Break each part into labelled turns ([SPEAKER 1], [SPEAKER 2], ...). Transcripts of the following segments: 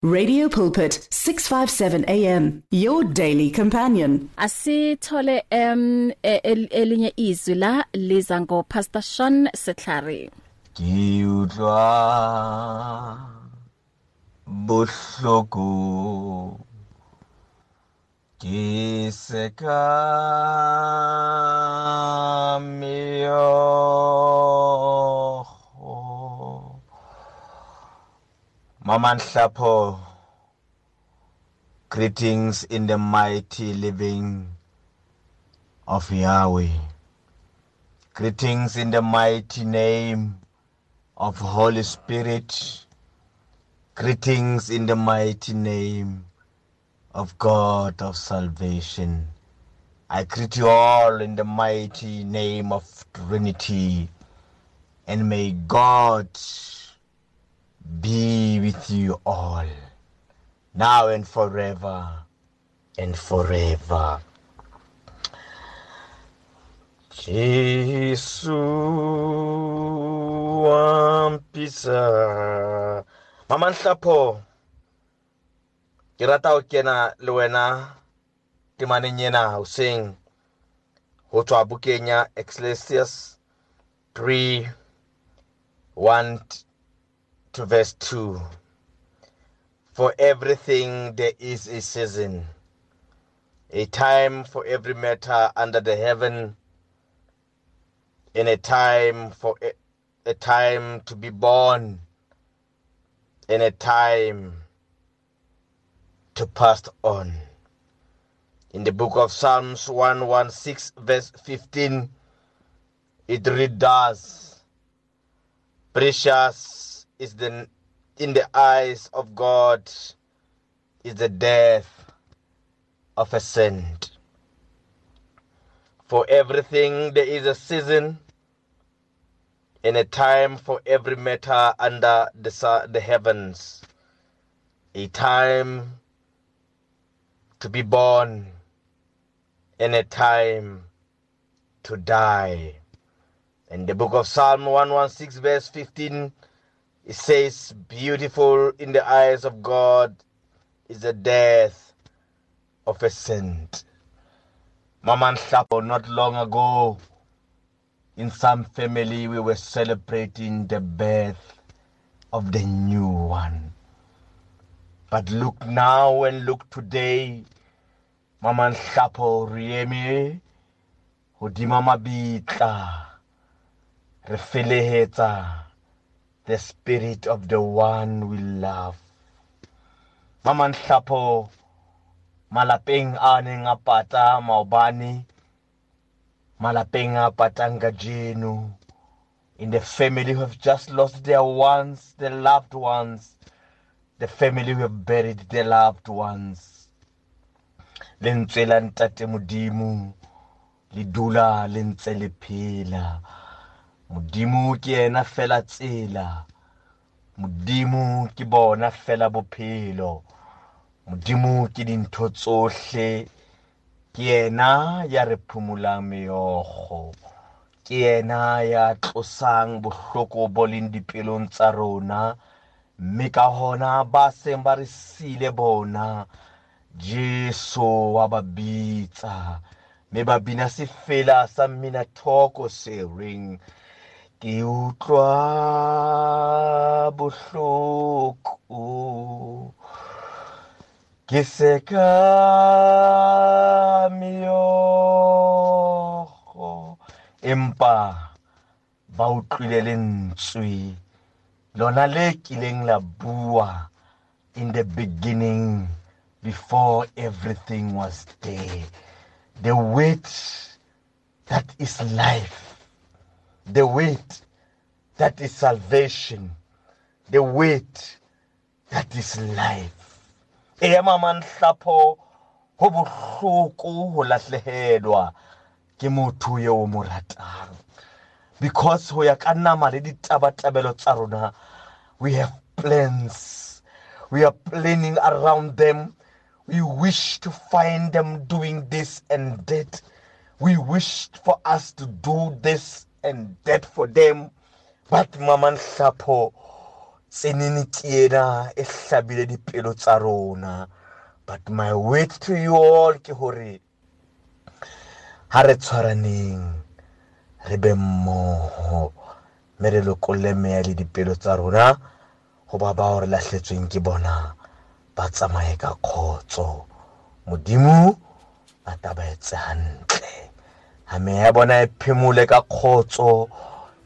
[SPEAKER 1] Radio Pulpit 657 AM, your daily companion.
[SPEAKER 2] Asithole elinye izwi la liza ngo Pastor Sean Setlhare.
[SPEAKER 3] Ke utlwa bohloko ke seka meokgo. Mama Nhlapo, greetings in the mighty living of Yahweh. Greetings in the mighty name of Holy Spirit. Greetings in the mighty name of God of salvation. I greet you all in the mighty name of Trinity, and may God be with you all, now and forever and forever. Jesu wampisa. Mama Nhlapo, ke rata ho kena le wena temaneng ena hoseng ho tswa bukeng ya Ecclesiastes 3:1 to verse 2. For everything there is a season, a time for every matter under the heaven, and a time for a time to be born, and a time to pass on. In the book of Psalms 116 verse 15, it reads thus: precious is the in the eyes of God is the death of a saint. For everything there is a season and a time for every matter under the heavens, a time to be born and a time to die. In the book of Psalm 116 verse 15, it says, beautiful in the eyes of God is the death of a saint. Mama Nhlapo, not long ago, in some family, we were celebrating the birth of the new one. But look now and look today, Mama Nhlapo, re eme hodima mabitla, re felehetsa the spirit of the one we love. Mama Nhlapo, malapeng a neng a pata maobane, malapeng a patang kajeno, in the family who have just lost their ones, their loved ones, the family who have buried their loved ones. Lentswe la Ntate Modimo le dula le ntse le phela. Modimo ke yena fela tsela. Modimo ke bona fela bophelo. Modimo ke dintho tsohle. Ke yena ya re phomolang meokgo. Ke yena ya tlosang bohloko bo leng dipelong tsa rona. Mme ka hona ba seng ba re sile bona, Jesu wa ba bitsa. Mme ba bina sefela sa mmina thoko se reng, ke utlwa bohloko, ke seka meokgo. Empa ba utlwile lentswe lona le kileng la bua in the beginning, before everything was there. The word that is life, the word that is salvation, the word that is life. Eya Mama Nhlapo, ho bohloko ho lahlehelwa ke motho eo mo ratang. Because ho ya ka nama le ditabatabelo tsa rona, we have plans. We are planning around them. We wish to find them doing this and that. We wish for us to do this and that for them. But Mama Nhlapo, Tsenene ke ena e hlabile dipelo tsa rona. But my word to you all ke hore ha re tshwaraneng, re be mmoho, mme re lokolle meya le dipelo tsa rona ho ba bao re lahletsweng ke bona, ba tsamaye ka kgotso. Modimo a tla ba etse hantle. Ha meya ya bona e phemole ka kgotso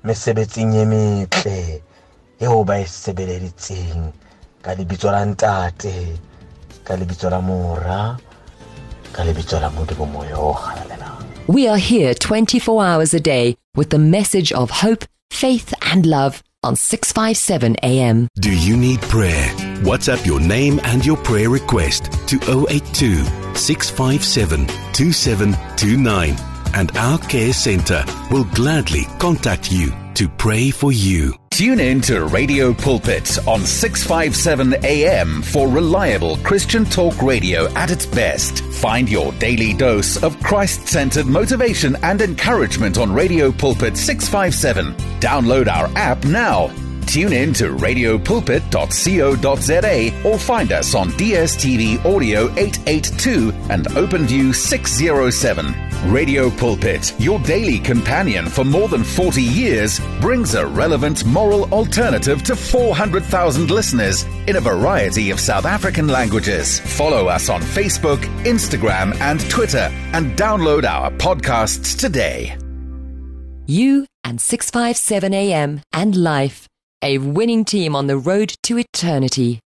[SPEAKER 3] mesebetsing e metle eo ba e sebeleditseng, ka lebitso la Ntate, ka lebitso la Mora, ka lebitso la Modimo Moya o Halalelang.
[SPEAKER 4] We are here 24 hours a day with the message of hope, faith and love on 657 AM.
[SPEAKER 5] Do you need prayer? WhatsApp your name and your prayer request to 082 657 2729 and our care center will gladly contact you to pray for you.
[SPEAKER 6] Tune in to Radio Pulpit on 657 AM for reliable Christian talk radio at its best. Find your daily dose of Christ-centered motivation and encouragement on Radio Pulpit 657. Download our app now. Tune in to radiopulpit.co.za or find us on DSTV Audio 882 and OpenView 607. Radio Pulpit, your daily companion for more than 40 years, brings a relevant moral alternative to 400,000 listeners in a variety of South African languages. Follow us on Facebook, Instagram and Twitter and download our podcasts today.
[SPEAKER 4] You and 657 AM and life, a winning team on the road to eternity.